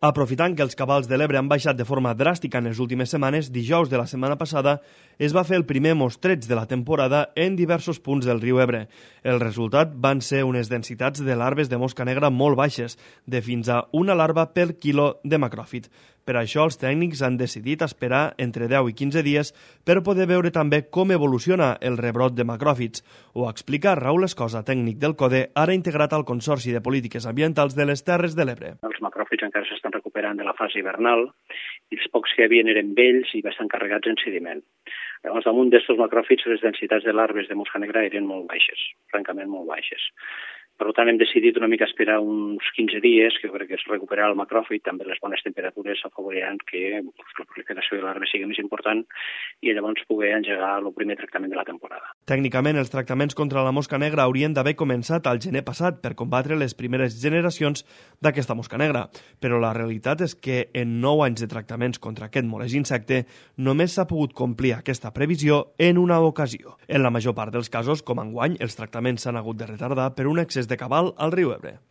Aprofitant que els cabals de l'Ebre han baixat de forma dràstica en les últimes setmanes, dijous de la setmana passada es va fer el primer mostreig de la temporada en diversos punts del riu Ebre. El resultat van ser unes densitats de larves de mosca negra molt baixes, de fins a una larva per quilo de macròfit. Per això els tècnics han decidit esperar entre 10 i 15 dies per poder veure també com evoluciona el rebrot de macròfits. Ho explica Raül Escosa, tècnic del CODE, ara integrat al Consorci de Polítiques Ambientals de les Terres de l'Ebre. Els macròfits encara s'estan recuperant de la fase hivernal i els pocs que hi havia eren vells i bastant carregats en sediment. Llavors, damunt d'aquests macròfits, les densitats de larves de mosca negra eren molt baixes, francament molt baixes. Per tant, hem decidit una mica esperar uns 15 dies, que jo crec que es recuperarà el macròfit, també les bones temperatures afavoriran que la proliferació de larves sigui més important i llavors poder engegar el primer tractament de la temporada. Tècnicament, els tractaments contra la mosca negra haurien d'haver començat al gener passat per combatre les primeres generacions d'aquesta mosca negra, però la realitat és que en 9 anys de tractaments contra aquest molest insecte només s'ha pogut complir aquesta previsió en una ocasió. En la major part dels casos, com enguany, els tractaments s'han hagut de retardar per un excés de cabal al riu Ebre.